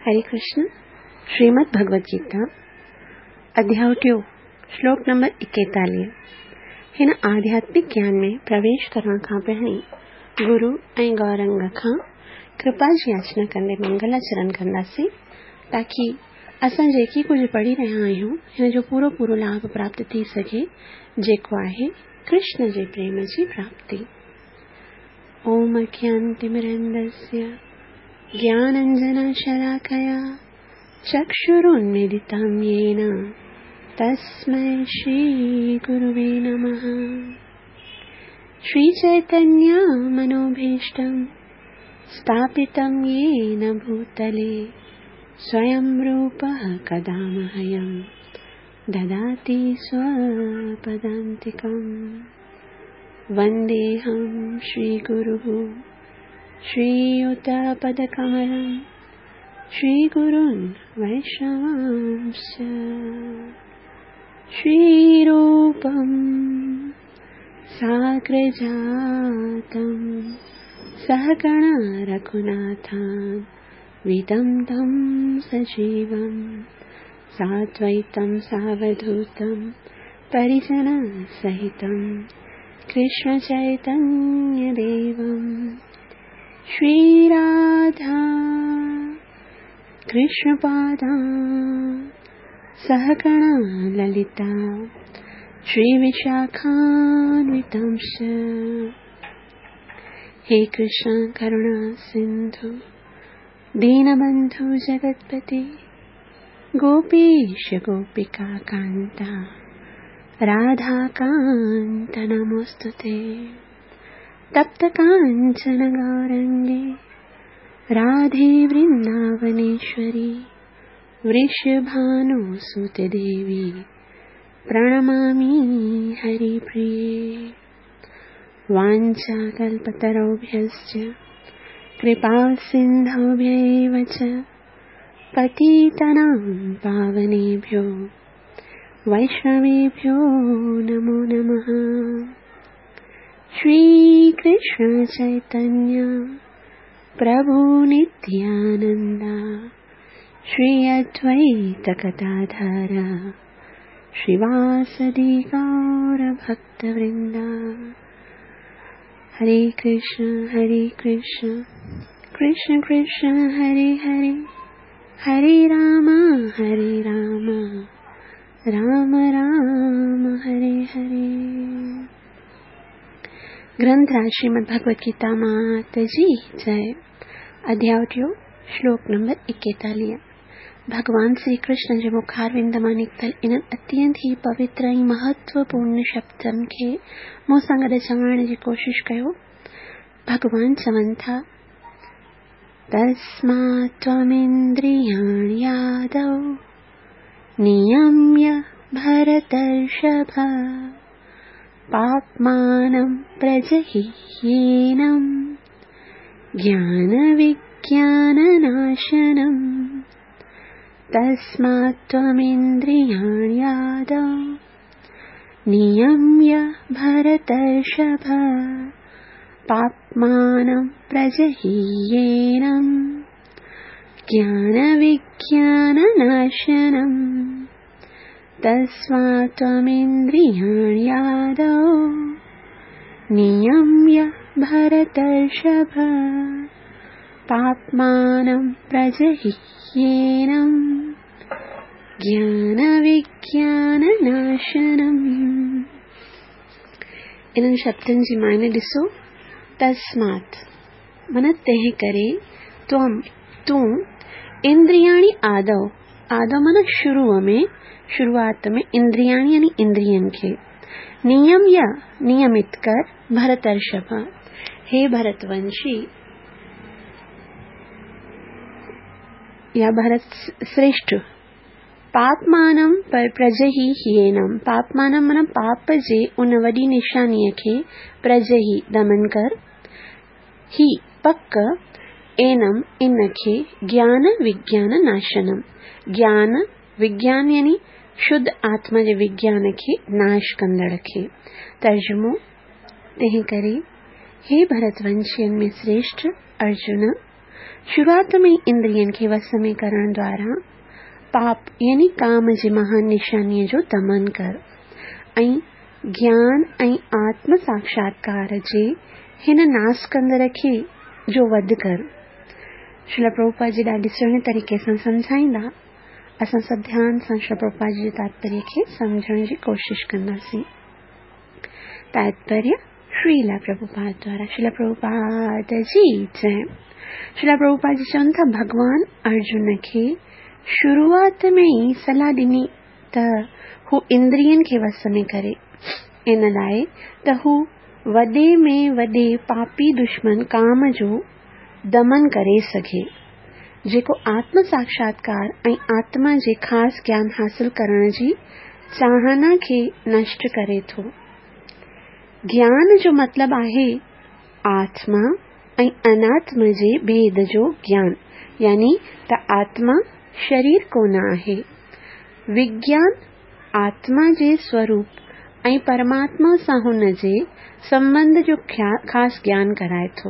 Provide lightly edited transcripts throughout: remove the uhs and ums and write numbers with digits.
हरे कृष्ण। श्रीमद् भगवद गीता अध्याय टियों, श्लोक नंबर 41। हिन आध्यात्मिक ज्ञान में प्रवेश करण खां पहिरीं गुरु ऐं गौरंग खां कृपा जी याचना कंदे मंगलाचरण कंदासीं, ताकी असां जेकी कुझु पढ़ी रहिया आहियूं हिन जो पूरो पूरो लाभ प्राप्त थी सघे, जेको आहे कृष्ण जे प्रेम जी प्राप्ति। ओम अज्ञानतिमिरन्धस्य ज्ञानाञ्जनशलाकया चक्षुरुन्मीलितं येन तस्मै श्रीगुरुवे नमः। श्रीचैतन्यमनोभीष्टं स्थापितं येन भूतले स्वयं रूपः कदा मह्यं ददाति स्वपदान्तिकम्। वन्देऽहं श्रीगुरुः श्रीयुतपदकमलं श्रीगुरून् वैष्णवांश्च। श्रीरूपं साग्रजातं सहगण रघुनाथान्वितं तं सजीवं साद्वैतं सावधूतं परिजनसहितं कृष्णचैतन्यदेवं। श्रीराधा कृष्णपादां सहगण ललिता श्रीविशाखान्वितांश्च। हे कृष्ण करुणा सिन्धु दीनबन्धु जगत्पते गोपीश गोपिका कान्ता राधाकान्त नमोऽस्तुते। तप्त काञ्चन गौरङ्गे राधे वृन्दावनेश्वरी वृषभानुसुते देवी प्रणमामि हरिप्रिये। वाञ्छाकल्पतरुभ्यश्च कृपासिन्धुभ्यैव च पतितानां पावनेभ्यो वैष्णवेभ्यो नमो नमः। श्रीकृष्ण चैतन्य प्रभु नित्यानंद श्री अद्वैत गदाधर श्रीवासदि गौर भक्तवृंद। हरे कृष्ण कृष्ण कृष्ण हरे हरे, हरे राम राम राम हरे हरे। ग्रंथराज श्रीमद् भगवद गीता मात जी जय। अध्याय टियों, श्लोक नंबर 41। भगवान श्री कृष्ण जे मुखारविंद मां निकितल इन्हनि अत्यंत ई पवित्र ऐं महत्वपूर्ण शब्दनि खे मूं सां गॾु चवण जी कोशिश कयो। भगवान चवनि था, तस्मात् त्वमिन्द्रियाणि यादव नियम्य भरतर्षभ पाप्मानं प्रजहि येनं ज्ञानविज्ञाननाशनम्। तस्मात् त्वमिन्द्रियाणि यादव नियम्य भरतर्षभ पाप्मानं प्रजहि येनं ज्ञानविज्ञाननाशनम्। तस्मात् त्वमिन्द्रियाणि यादव नियम्य भरतर्षभ पाप्मानं प्रजहि येनं ज्ञानविज्ञाननाशनम्। इन्हनि शब्दनि जी मायने ॾिसो। तस्मात् माना तंहिं करे, त्वं तूं, इंद्रियाणि आदौ, आदौ माना शुरूअ में, शुरुआत में, इंद्रियाणि यानी इंद्रियनि खे, नियम या नियमित कर, भरतर्षभ हे भरतवंशी या भरत श्रेष्ठ, पापमानम प्रजही हीनम, पापमानम माना पाप जे उन वॾी निशानीअ खे प्रजही दमन कर, ही पक, एनम इन खे, ज्ञान विज्ञान नाशनम, ज्ञान विज्ञान यानी शुद्ध आत्मा जे विज्ञान खे नाश कंदड़ खे। तर्जुमो, तंहिं करे हे भरतवंशियनि में श्रेष्ठ अर्जुन, شروعات ۾ ئي اندرين کي وس ۾ ڪرڻ دواران پاپ يعني ڪام جي مهان نشانيء جو دمن ڪر ۽ گيان ۽ آتم ساڪشاتڪار جي هن ناس ڪندڙ کي جو وڌ ڪر. شريلا پرڀوپاد جي ڏاڍي سهڻي طريقي سان سمجهائيندا. اسان سڀ ڌيان سان شريلا پرڀوپاد جي تاتپريه کي سمجهڻ جي ڪوشش ڪنداسين. تاتپريه شريلا پرڀوپاد دوارا شريلا پرڀوپاد جي جئه. شريلا پرڀوپاد جي چون ٿا ڀڳوان ارجن کي شروعات ۾ ئي صلاح ڏني ته هو اندرين کي وس ۾ ڪري ان لاء ته هو وڏي ۾ وڏي پاپي دشمن ڪام جو دمن ڪري سگهي، جيڪو آتم ساڪشاتڪار ۽ آتما جي خاص گيان حاصل ڪرڻ جي چاهنا کي نشٽ ڪري ٿو. گيان جو مطلب آهي آتما ۽ اناتما جي ڀيد جو گيان يعني ته آتما شرير ڪونه آهي. وگيان آتما جي سوروپ ۽ پرماتما سان هن جي سنٻنڌ جو خاص گيان ڪرائي ٿو.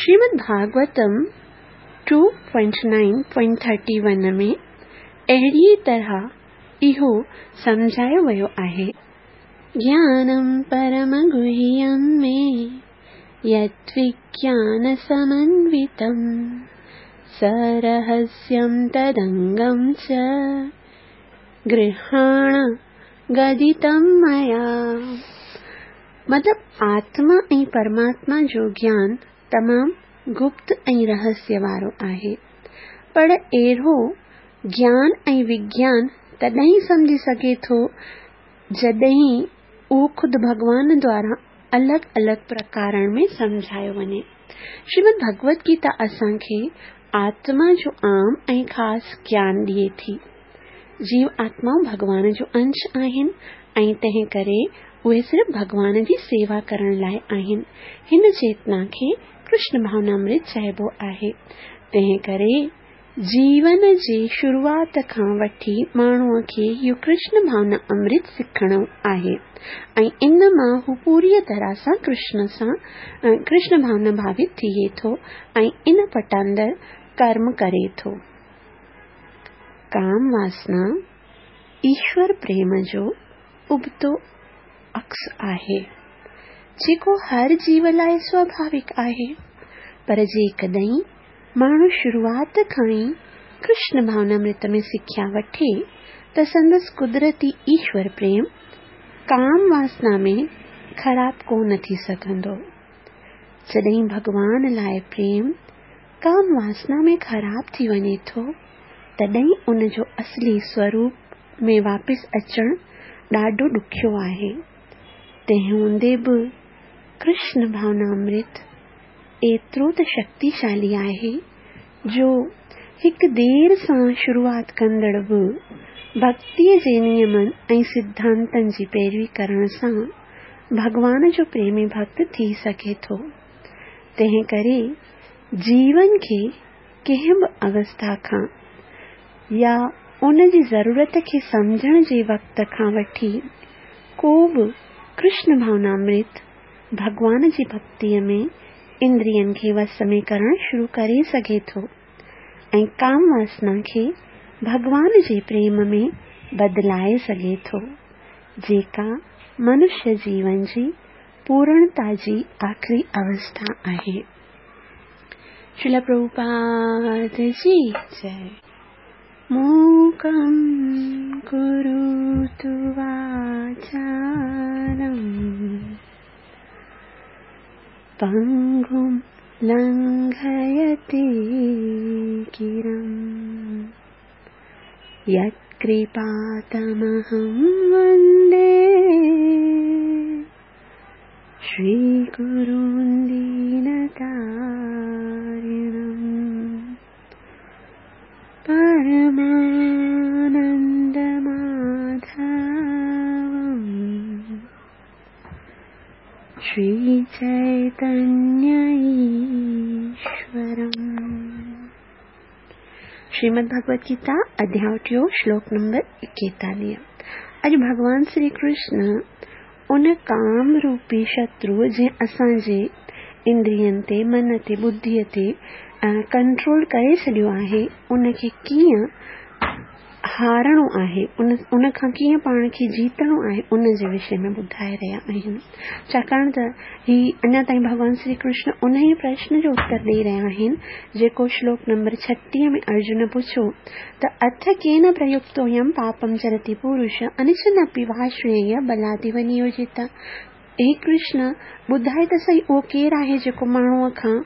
شريمد ڀاڳوتم 2.9.31 ۾ اهڙيء طرح اهو سمجهايو ويو آهي. گيانم پرم گهيم ۾ يدوگيان سمنوتم سرهسيم تدنگم چ گرهاڻ گدتم ميا. مطلب آتما ۽ پرماتما جو گيان تمام گپت ۽ رهسيه وارو آهي. پر اهڙو گيان ۽ وگيان تڏهن ئي سمجهي سگهي ٿو جڏهن اهو خود ڀڳوان دواران الڳ الڳ پرڪارن ۾ سمجهايو وڃي. شريمد ڀڳوت گيتا اسان کي آتما جو عام ۽ خاص گيان ڏئي ٿي. جيو آتمائون ڀڳوان جو انش آهن ۽ تنهن ڪري اهي صرف ڀڳوان جي سيوا ڪرڻ لاء آهن. هن چيتنا کي ڪرشن ڀاونامرت چئبو آهي. تنهن ڪري جيون جي شروعات کان وٺي ماڻهوء کي اهو ڪرشن ڀاونا امرت سکڻو آهي ۽ ان مان هو پوريء طرح سان ڪرشن سان ڪرشن ڀاونا ڀاوت ٿئي ٿو ۽ ان پٽاندر ڪرم ڪري ٿو. ڪام واسنا ايشور پريم جو ابتو عڪس آهي، جيڪو هر جيو لاء سواڀاوڪ آهي، پر جيڪڏهن ماڻهو شروعات کان ئي ڪرشن ڀاونامرت ۾ سکيا وٺي ته سندس قدرتي ايشور پريم ڪام واسنا ۾ خراب ڪو نه ٿي سگهندو. جڏهن ڀڳوان لاء پريم ڪام واسنا ۾ خراب ٿي وڃي ٿو، تڏهن ان جو اصلي سوروپ ۾ واپس اچڻ ڏاڍو ڏکيو آهي. تنهن هوندي به ڪرشن ڀاونامرت ايترو ته شڪتيشالي آهي جو هڪ دير سان شروعات ڪندڙ به ڀڳتيء جي نيمن ۽ سڌانتن جي پيروي ڪرڻ سان ڀڳوان جو پريمي ڀڳت ٿي سگهي ٿو. تنهن ڪري جيون کي ڪنهن به اوسٿا کان يا ان جي ضرورت کي سمجهڻ جي وقت کان وٺي ڪو به ڪرشن ڀاونامرت ڀڳوان جي ڀڳتيء ۾ اندرين کي وس ۾ ڪرڻ شروع ڪري سگهي ٿو ۽ ڪام واسنا کي ڀڳوان جي پريم ۾ بدلائي سگهي ٿو، جيڪا منشيه جيون جي پورڻتا جي آخري اوسٿا آهي. شريلا پرڀوپاد جي جئه. موڪم ڪروتو واچالم پنگم لنگهيتي گرم يتڪرپا تمهم وندي شري گرون دينتارڻم. پرمانند ماڌوم شري چيتنيه ايشورم. شريمد ڀڳوت گيتا اڌياء ٽيون شلوڪ نمبر ايڪيتاليهه. اڄ ڀڳوان شري ڪرشن ان ڪام روپي شتروء جنهن اسان جي اندرين تي، من تي، ٻڌيء تي ڪنٽرول ڪري ڇڏيو آهي، ان کي ڪيئن هارڻو آهي، ان کان ڪيئن پاڻ کي جيتڻو آهي، ان جي وشي ۾ ٻڌائي رهيا آهن. ڇاڪاڻ ته هي اڃا تائين ڀڳوان شري ڪرشن انهيء پرشن جو اتر ڏئي رهيا آهن، جيڪو شلوڪ نمبر 36 ۾ ارجن پڇيو ته اٿ ڪين پريڪتويم پاپم چرتي پورش انڇن اپي وارشڻييه بلاديو نيوجيتا. هي ڪرشن، ٻڌاء ته سهي اهو ڪير آهي جيڪو ماڻهوء کان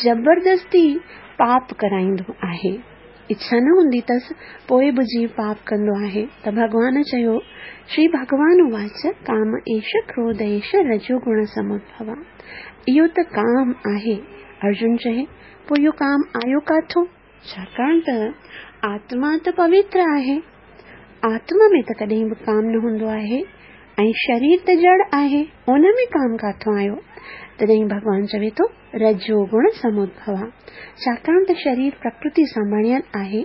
زبردستي پاپ ڪرائيندو آهي؟ اڇا نه هوندي اٿس، پوء به جيو پاپ ڪندو آهي. ته ڀڳوان چيو، شري ڀڳوان اواچ، ڪام ايش ڪروڌ ايش رجو گڻ سمودڀو. اهو ته ڪام آهي. ارجن چئي، پوء اهو ڪام آيو ڪاٿون؟ ڇاڪاڻ ته آتما ته پوتر آهي. آتما ۾ ته ڪڏهن به ڪام نه هوندو آهي ۽ شرير ته جڙ آهي، ان ۾ ڪام ڪاٿون آيو؟ تڏهن ڀڳوان چوي ٿو، رجو گڻ سمودڀوا. ڇاڪاڻ ته شرير پرڪرتي سان بڻيل آهي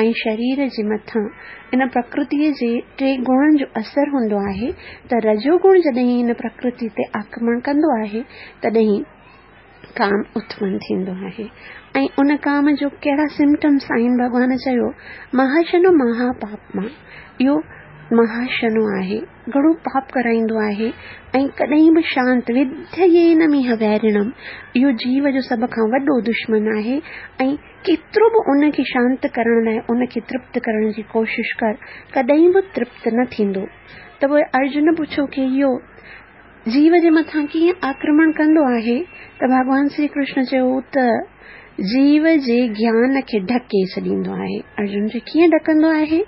۽ شرير جي مٿان ان پرڪرتيء جي ٽي گڻن جو اثر هوندو آهي ته رجو گڻ جڏهن هن پرڪرتي تي آڪرمڻ ڪندو آهي تڏهن ڪام اتپن ٿيندو آهي ۽ ان ڪام جو ڪهڙا سمپٽمس آهن ڀڳوان چيو مهاشنو مها پاپما اهو مهاشنو آهي گهڻو پاپ ڪرائيندو آهي ۽ ڪڏهن به شانت وڌيينميهه ويرڻم اهو جيو جو سڀ کان وڏو دشمن آهي ۽ ڪيترو به ان کي شانت ڪرڻ لاء ان کي ترپت ڪرڻ جي ڪوشش ڪر ڪڏهن به ترپت نه ٿيندو ته پوء ارجن پڇيو ڪي اهو جيو جي مٿان ڪيئن آڪرمڻ ڪندو آهي ته ڀڳوان شري ڪرشن چيو ته جيو جي گيان کي ڍڪي ڇڏيندو آهي. ارجن چيو ڪيئن ڍڪندو آهي؟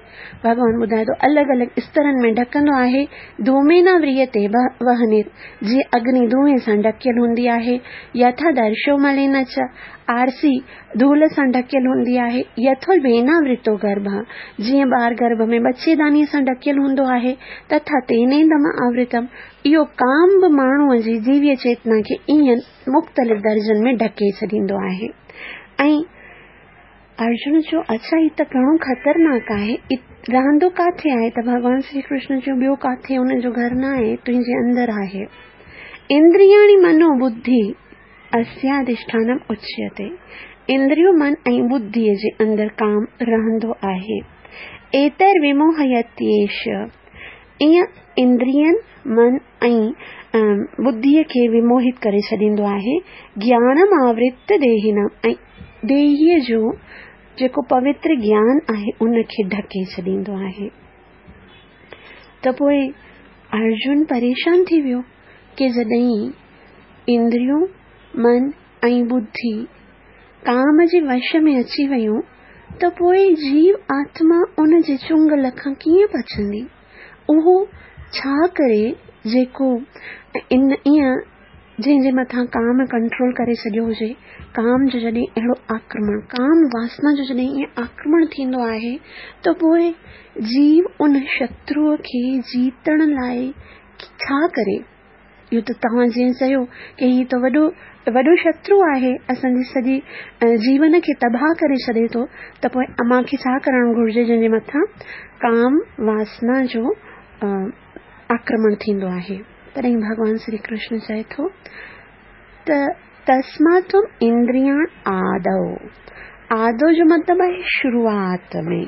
ڀڳوان ٻڌائي ٿو الڳ الڳ استرن ۾ ڍڪندو آهي، ڌوميناوريتي وهنر، جيئن اگني دونهين سان ڍڪيل هوندي آهي، يٿا درشو ملين چ، آرسي ڌول سان ڍڪيل هوندي آهي، يٿولڀيناورتو گرڀ، جيئن ٻار گرڀ ۾ ٻچيدانيء سان ڍڪيل هوندو آهي، تٿا تينيدم آورتم، اهو ڪام به ماڻهوء جي ديويه چيتنا کي ائين مختلف درجن ۾ ڍڪي ڇڏيندو آهي. ۽ ارجن چيو، اڇا هي ته گهڻو خطرناڪ آهي، رهندو ڪاٿي آهي؟ ته ڀڳوان شري ڪرشن چيو، ٻيو ڪاٿي ان جو گهر نه آهي، تنهنجي اندر آهي. اندرياڻي منو ٻڌي. اسياڌشٺانم اچيتي، اندريون من ۽ ٻڌيء جي اندر ڪام رهندو آهي. ايتر وموهيتيش، ائين اندرين، من ۽ ٻڌيء کي وموهت ڪري ڇڏيندو آهي. گيانم آورت ديهنم ۽ ديهيء جو جيڪو پوتر گيان آهي ان کي ڍڪي ڇڏيندو آهي. ته پوء ارجن پريشان ٿي ويو ڪي جڏهن اندريون، من ۽ ٻڌي ڪام جي وش ۾ اچي ويون ته پوء جيو آتما ان جي چنگل کان ڪيئن بچندي؟ اهو ڇا ڪري جيڪو ان ائين جنهن جي مٿان ڪام ڪنٽرول ڪري ڇڏيو هجي؟ ڪام جو جڏهن اهڙو آڪرمڻ، ڪام واسنا جو جڏهن ائين آڪرمڻ ٿيندو آهي ته پوء جيو ان شتروء کي جيتڻ لاء ڇا ڪري؟ اهو ته توهان جيئن چيو ڪي هي ته وڏو وڏو شترو آهي اسان جي سڄي جيون کي تباهه ڪري ڇڏي ٿو ته پوء امان کي ڇا ڪرڻ گهرجي جنهن جي مٿان ڪام واسنا جو آڪرمڻ ٿيندو آهي تڏهن ڀڳوان شري ڪرشن چئي ٿو ته تسمات تم اندريان آدو آدو جو مطلب آهي شروعات ۾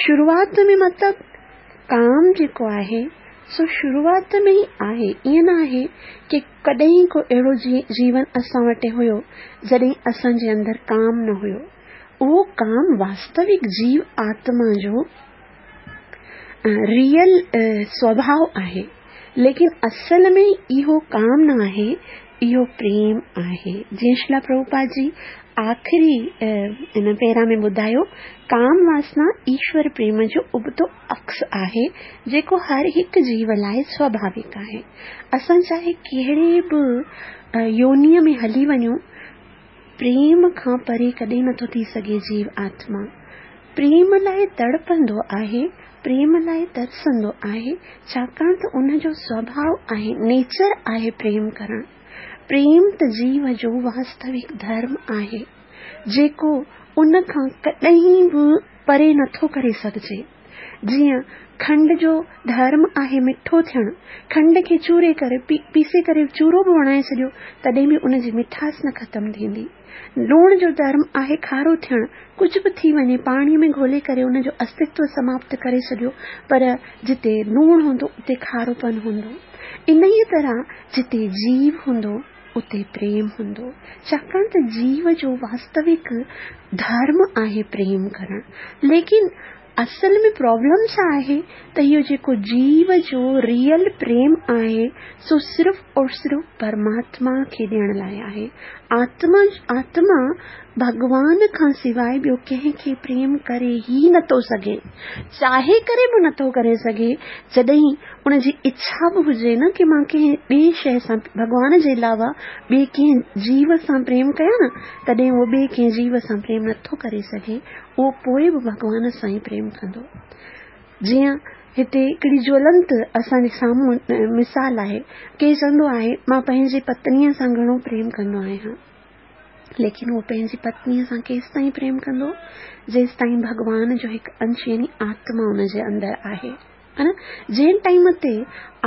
شروعات ۾ مطلب ڪام جيڪو آهي سو شروعات ۾ ئي آهي ائين نه آهي ڪي ڪڏهن ڪو اهڙو جيون اسان وٽ هيو جڏهن اسان جي اندر ڪام نه هيو اهو ڪام واستوڪ جيو آتما جو ريئل سوڀاء آهي ليڪن اصل ۾ اهو ڪام نه آهي اهو پريم آهي جيئن شريلا پرڀوپاد جي آخري ان پيرا ۾ ٻڌايو ڪام واسنا ايشور پريم جو ابتو عڪس آهي جيڪو هر هڪ جيو لاء سواڀاوڪ آهي اسان چاهي ڪهڙي به يونيء ۾ هلي وڃون پريم کان پري ڪڏهن نٿو ٿي سگهي جيو آتما پريم لاء تڙپندو آهي، پريم لاء ترسندو آهي، ڇاڪاڻ ته ان جو سوڀاء آهي، نيچر آهي پريم ڪرڻ. پريم ته جيو جو واستوڪ ڌرم آهي، جيڪو ان کان ڪڏهن به پري نٿو ڪري سگهجي. جيئن کنڊ جو ڌرم آهي مٺو ٿيڻ، کنڊ کي چوري ڪري، پيسي ڪري چورو به بڻائي ڇڏيو، تڏهن به ان جي مٺاس نه ختم ٿيندي. لوڻ جو ڌرم آهي کارو ٿيڻ، ڪجهه به ٿي وڃي پاڻيء ۾ گهولي ڪري ان جو استتو سماپت ڪري ڇڏيو، پر جتي لوڻ هوندو اتي کاروپن هوندو. انهيء طرح جتي جيو هوندو اتي پريم هوندو، ڇاڪاڻ ته جيو جو واستوڪ ڌرم آهي پريم ڪرڻ. ليڪن اصل ۾ پرابلم ڇا آهي ته اهو جيڪو جيو جو ريئل پريم آهي سو صرف اور صرف پرماتما کي ڏيڻ لاء آهي. آتما آتما ڀڳوان کان سواء ٻيو ڪنهن کي پريم ڪري ئي نٿو سگهي. چاهي ڪري به نٿو ڪري سگهي. جڏهن ان جي اڇا به هجي نه ڪي مان ڪنهن ٻئي شيء سان ڀڳوان جي علاوه ٻئي ڪنهن جيو سان پريم ڪيان نه تڏهن اهو ٻئي ڪنهن جيو سان پريم نٿو ڪري سگهي. اهو پوء به ڀڳوان سان ئي پريم ڪندو. جيئن هتي هڪڙي جولنت اسان جي سامهون مثال آهي. ڪير چوندو آهي مان پنهنجي پتنيء سان گهڻو پريم ڪندو آهيان. ليڪن اهو پنهنجي پتنيء سان ڪيستائين پريم ڪندو؟ جيستائين ڀڳوان جو هڪ انش يعني آتما ان جي اندر آهي. ها نه؟ جنهن ٽائيم تي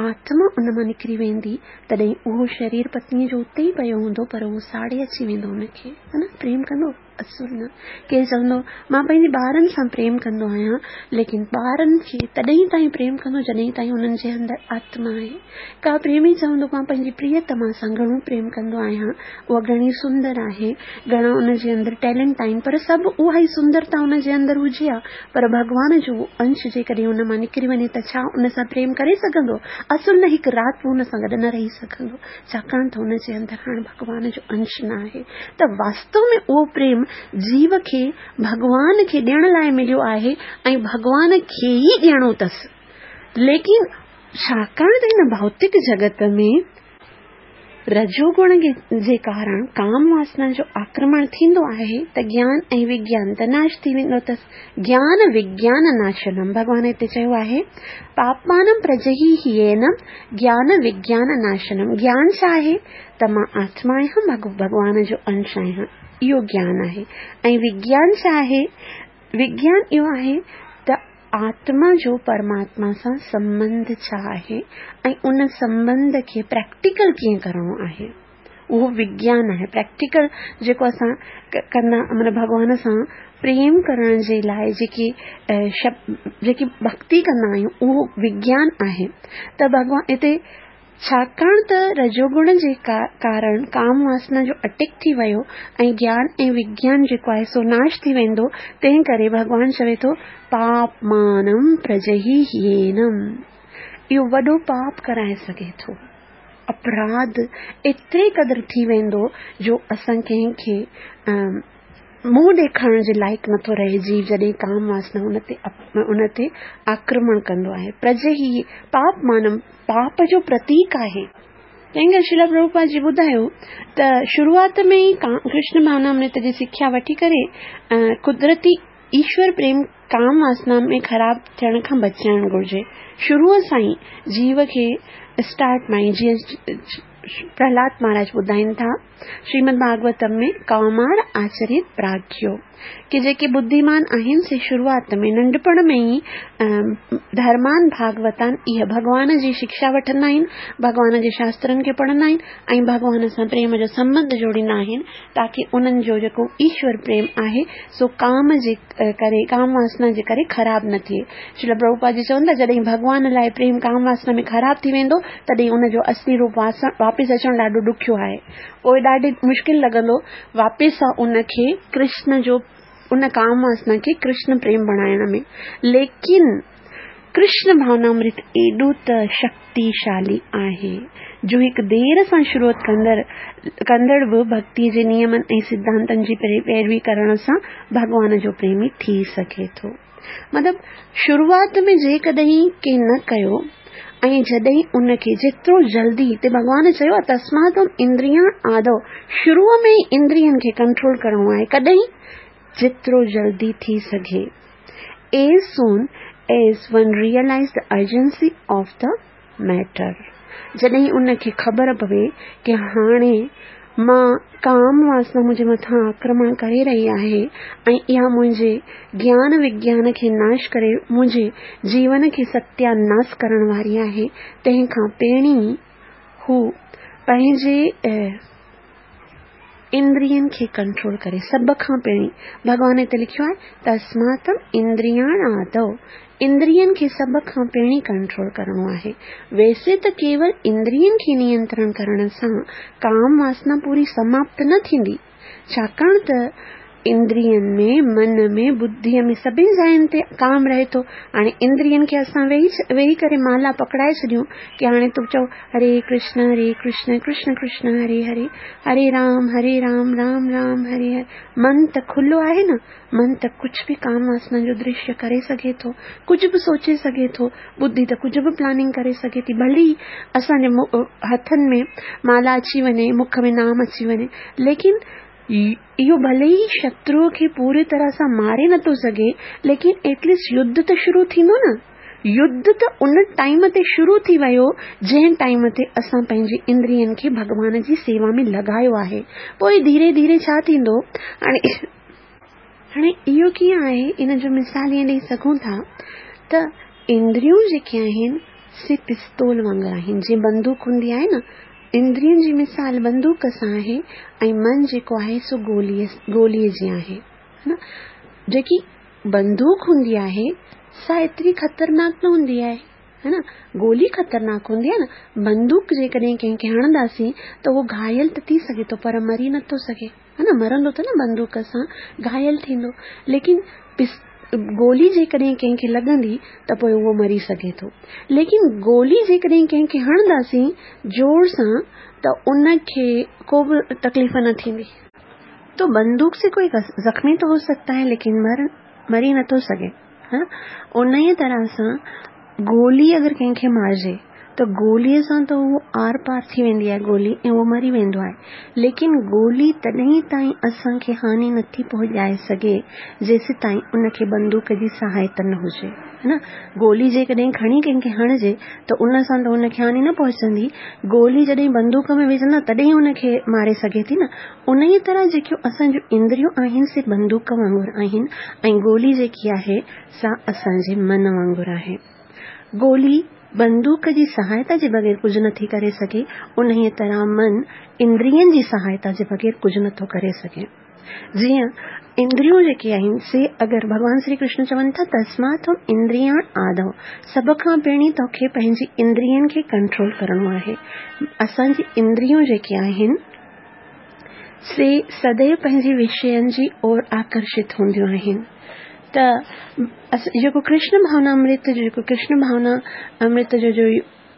آتما ان مان نڪري ويندي تڏهن اهو شرير پتنيء جو اتي ئي پيو هوندو پر اهو ساڙي اچي ويندو ان کي. ها نه؟ پريم ڪندو؟ اصل نه. ڪير چوندو، مان پنهنجي ٻارن سان پريم ڪندو آهيان، ليڪن ٻارن کي تڏهن تائين پريم ڪندو جڏهن تائين انهن جي اندر آتما آهي. ڪا پريمي چوندو، مان پنهنجي پريتما سان گهڻو پريم ڪندو آهيان، اها گهڻي سندر آهي، گهڻا ان جي اندر ٽيلنٽ آهن، پر سڀ اها ئي سندرتا ان جي اندر هجي ها، پر ڀڳوان جو اهو انش جيڪڏهن ان مان نڪري وڃي ته ڇا ان سان پريم ڪري سگهندو؟ اصل نه هڪ رات به ان سان گڏ نه رهي سگهندو. ڇاڪاڻ ته ان جي اندر هاڻ ڀڳوان جو انش نه آهي ته واستو ۾ اهو پريم جيو کي ڀڳوان کي ڏيڻ لاء مليو آهي ۽ ڀڳوان کي ئي ڏيڻو اٿس. ليڪن ڇاڪاڻ ته هن ڀوتڪ جڳت ۾ رجوگڻ جي ڪارڻ ڪام واسنا جو آڪرمڻ ٿيندو آهي ته گيان ۽ وگيان ته ناش ٿي ويندو اٿس. گيان وگيان ناشنم ڀڳوان هتي چيو آهي پاپمانم پرجهيهينم گيان وگيان ناشنم گيان ڇا آهي ته مان آتما آهيان ڀڳوان جو انش آهيان اهو گيان آهي ۽ وگيان ڇا آهي وگيان اهو آهي ته آتما جو پرماتما سان سنٻنڌ ڇا آهي ۽ ان سنٻنڌ کي پريڪٽيڪل ڪيئن ڪرڻو آهي اهو وگيان آهي پريڪٽيڪل جيڪو اسان ڪندا مطلب ڀڳوان سان پريم ڪرڻ جي لاء جيڪي جيڪي ڀڪتي ڪندا آهيون اهو وگيان آهي ته ڀڳوان هتي ڇاڪاڻ ته رجوگڻ جي ڪارڻ ڪام واسنا جو اٽيڪ ٿي ويو ۽ گيان ۽ وگيان جيڪو آهي سو ناش ٿي ويندو تنهن ڪري ڀڳوان چوي ٿو پاپمانم پرجهيهينم اهو وڏو پاپ ڪرائي سگهي ٿو. اپراڌ ايتري قدر ٿي ويندو جو اسان ڪنهن کي منهن ڏيکارڻ جي لائق نٿو رهي جيو جڏهن ڪام واسنا ان تي ان تي آڪرمڻ ڪندو آهي پرجهي پاپمانم پاپ جو پرتيڪ آهي. تنهن ڪري شريلا پرڀوپاد جي ٻڌايو ته شروعات ۾ ئي ڪرشن ڀاونامرت جي سکيا وٺي ڪري قدرتي ايشور پريم ڪام واسنا ۾ خراب ٿيڻ کان بچائڻ گهرجي. شروع سان ئي جيو کي اسٽارٽ مان ئي جيئن پرهلاد مهاراج ٻڌائين ٿا شريمد ڀاڳوتم ۾ ڪومار آچريت پراگيو ڪي جيڪي ٻڌيمان آهن سي شروعات ۾ ننڍپڻ ۾ ئي ڌرمان ڀاڳوتان اهي ڀڳوان جي شڪشا وٺندا آهن ڀڳوان جي شاسترن کي پڙهندا آهن ۽ ڀڳوان سان پريم جو سنٻنڌ جوڙيندا آهن تاڪه انهن جو جيڪو ايشور پريم آهي سو ڪام جي ڪري ڪام واسنا جي ڪري خراب نه ٿئي. شريلا پرڀوپاد جي چون ٿا جڏهن ڀڳوان لاء پريم ڪام واسنا ۾ خراب ٿي ويندو تڏهن ان جو اصلي روپ واپس اچڻ ڏاڍو ڏکيو آهي. پوء ڏاڍي مشڪل لڳندو واپس ان کي ڪرشن جو ان ڪام واسنا کي ڪرشن پريم بڻائڻ ۾. ليڪن ڪرشن ڀاونامرت ايڏو ته شڪتيشالي آهي جو هڪ دير سان شروعات ڪندڙ ڪندڙ به ڀڳتي جي نيمن ۽ سڌانتن جي پيروي ڪرڻ سان ڀڳوان جو پريمي ٿي سگهي ٿو. مطلب شروعات ۾ جيڪڏهن ڪنهن نه ڪيو ۽ جڏهن ان کي جيترو جلدي هتي ڀڳوان چيو آهي تسمات اندريان آدو شروع ۾ ئي اندرين کي ڪنٽرول ڪرڻو آهي ڪڏهن جيترو جلدي ٿي سگهي As soon as one realize the urgency of the matter جڏهن ان کي خبر پوي ڪي هاڻي مان ڪام واسنا منهنجي مٿان آڪرمڻ ڪري رهي آهي ۽ اها منهنجي گيان وگيان کي ناش ڪري منهنجي جيون کي ستياناس ڪرڻ واري آهي، تنهن کان پهرين هو پنهنجي اندرين کي ڪنٽرول ڪري. سڀ کان پهرين ڀڳوان هتي لکيو آهي تسماتم اندرياڻ آدو اندرين کي سڀ کان پهرين ڪنٽرول ڪرڻو آهي. ويسي ته ڪيول اندرين کي نينترڻ ڪرڻ سان ڪام واسنا پوري سماپت نه ٿيندي، ڇاڪاڻ ته اندرين ۾، من ۾، ٻڌيء ۾ سڀني جاين تي ڪام رهي ٿو. هاڻي اندرين کي اسان ويهي ڪري مالا پڪڙائي ڇڏيون ڪي هاڻي تون چئو هري ڪرشن هري ڪرشن ڪرشن ڪرشن هري هري هري رام هري رام رام رام هري هري. من ته کلو آهي نه، من ته ڪجهه به ڪام واسنا جو درشيه ڪري سگهي ٿو، ڪجهه به سوچي سگهي ٿو، ٻڌي ته ڪجهه به پلاننگ ڪري سگهي ٿي، ڀلي اسان جي هٿن ۾ مالا اچي وڃي، مک ۾ نام اچي وڃي، ليڪن اهو ڀلي ئي شتروء کي پوري طرح سان ماري نٿو سگهي، ليڪن ايٽليسٽ يڌ ته شروع ٿيندو نه. يڌ ته ان ٽائيم تي شروع ٿي ويو، جنهن ٽائيم تي اسان پنهنجي اندرين کي ڀڳوان جي سيوا ۾ لڳايو آهي. پوء ڌيري ڌيري ڇا ٿيندو؟ هاڻي هاڻي اهو ڪيئن آهي؟ ان جو مثال ائين ڏئي سگهون ٿا ته اندريون جيڪي آهن سي پستول وانگر آهن، جيئن بندوق هوندي آهي نه، اندرين جي مثال بندوق سان آهي ۽ من جيڪو آهي سو گوليء گوليء جيان آهي. نه جيڪي بندوق هوندي آهي سا ايتري خطرناڪ نه هوندي آهي. ها نه گولي خطرناڪ هوندي آهي نه بندوق جيڪڏهن ڪنهن کي هڻنداسين ته اهو گهايل ته ٿي سگهي ٿو پر مري نٿو سگهي. ها نه مرندو ته نه بندوق سان گهايل ٿيندو ليڪن گولي جيڪڏهن ڪنهن کي لڳندي ته پوء اهو مري سگهي ٿو ليڪن گولي جيڪڏهن ڪنهن کي هڻنداسين زور سان ته ان کي ڪو به تڪليف نه ٿيندي. تو بندوق سي ڪوئي زخمي تو هو سگتا هي ليڪن مر مري نٿو سگهي ها انهيء طرح سان گولي اگر ڪنهن کي مارجي ته گوليء سان ته اهو آر پار ٿي ويندي آهي گولي ۽ اهو مري ويندو آهي ليڪن گولي تڏهن تائين اسان کي هاني نٿي پهچائي سگهي جيسيتائين ان کي بندوق جي سهائتا نه هجي ها نه گولي جيڪڏهن کڻي ڪنهن کي هڻجي ته ان سان ته ان کي هاني نه پهچندي گولي جڏهن بندوق ۾ وجهندا تڏهن ان کي ماري سگهي ٿي نه انهيء طرح جيڪيون اسان جون اندريون آهن سي بندوق وانگر آهن ۽ گولي جيڪي آهي سا اسان جي من وانگر آهي. گولي بندوق جي سهائتا جي بغير ڪجهه نٿي ڪري سگهي، انهيء طرح من اندرين جي سهائتا جي بغير ڪجهه نٿو ڪري سگهي. جيئن اندريون جيڪي آهن سي اگر ڀڳوان شري ڪرشن چون ٿا تسمات تم اندريان آدو سڀ کان پهرين توکي پنهنجي اندرين کي ڪنٽرول ڪرڻو آهي. اسان جي اندريون جيڪي آهن سي سديو پنهنجي وشين جي اور آڪرشت هونديون آهن ته جيڪو ڪرشن ڀاونا امرت جو جيڪو ڪرشن ڀاونا امرت جو جو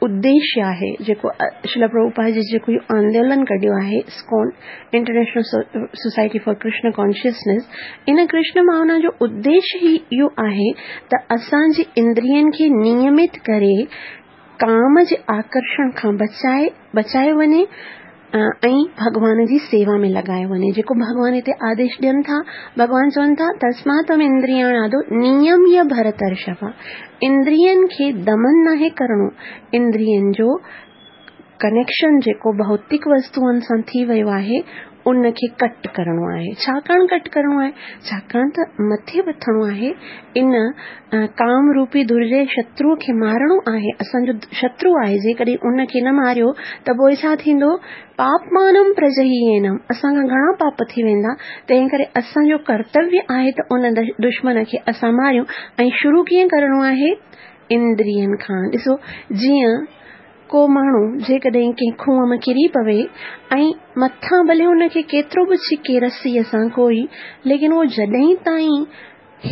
اديشيه آهي جيڪو شريلا پرڀوپاد جي جيڪو اهو آندولن ڪڍيو آهي ISKCON international society for Krishna consciousness ان ڪرشن ڀاونا جو اديشيه ئي اهو آهي ته اسان جي اندرين کي نيمت ڪري ڪام جي آڪرشڻ کان بچائي بچايو وڃي ۽ ڀڳوان جي سيوا ۾ لڳايو وڃي جيڪو ڀڳوان هتي آديش ڏين ٿا ڀڳوان چون ٿا تسمات تم اندرياڻ آدو نيميه ڀرترشڀ اندرين کي دمن ناهي ڪرڻو اندرين جو ڪنيڪشن جيڪو ڀوتڪ وستوئن سان ٿي ويو آهي، ان کي ڪٽ ڪرڻو آهي. ڇاڪاڻ ڪٽ ڪرڻو آهي؟ ڇاڪاڻ ته مٿي وٿڻو آهي، ان ڪام روپي درجي شتروء کي مارڻو آهي، اسان جو شترو آهي، جيڪڏهن ان کي نه ماريو ته پوء ڇا ٿيندو؟ پاپمانم پرجهيئينم، اسان کان گهڻا پاپ ٿي ويندا، تنهن ڪري اسان جو ڪرتويه آهي ته ان دشمن کي اسان ماريون ۽ شروع ڪيئن ڪرڻو آهي؟ اندرين کان. ڏسو جيئن ڪو ماڻهو جيڪڏهن ڪنهن کوهه ۾ ڪري پوي ۽ مٿان ڀلي هن کي ڪيترو به ڇڪي رسيء سان ڪوئي ليڪن اهو جڏهن تائين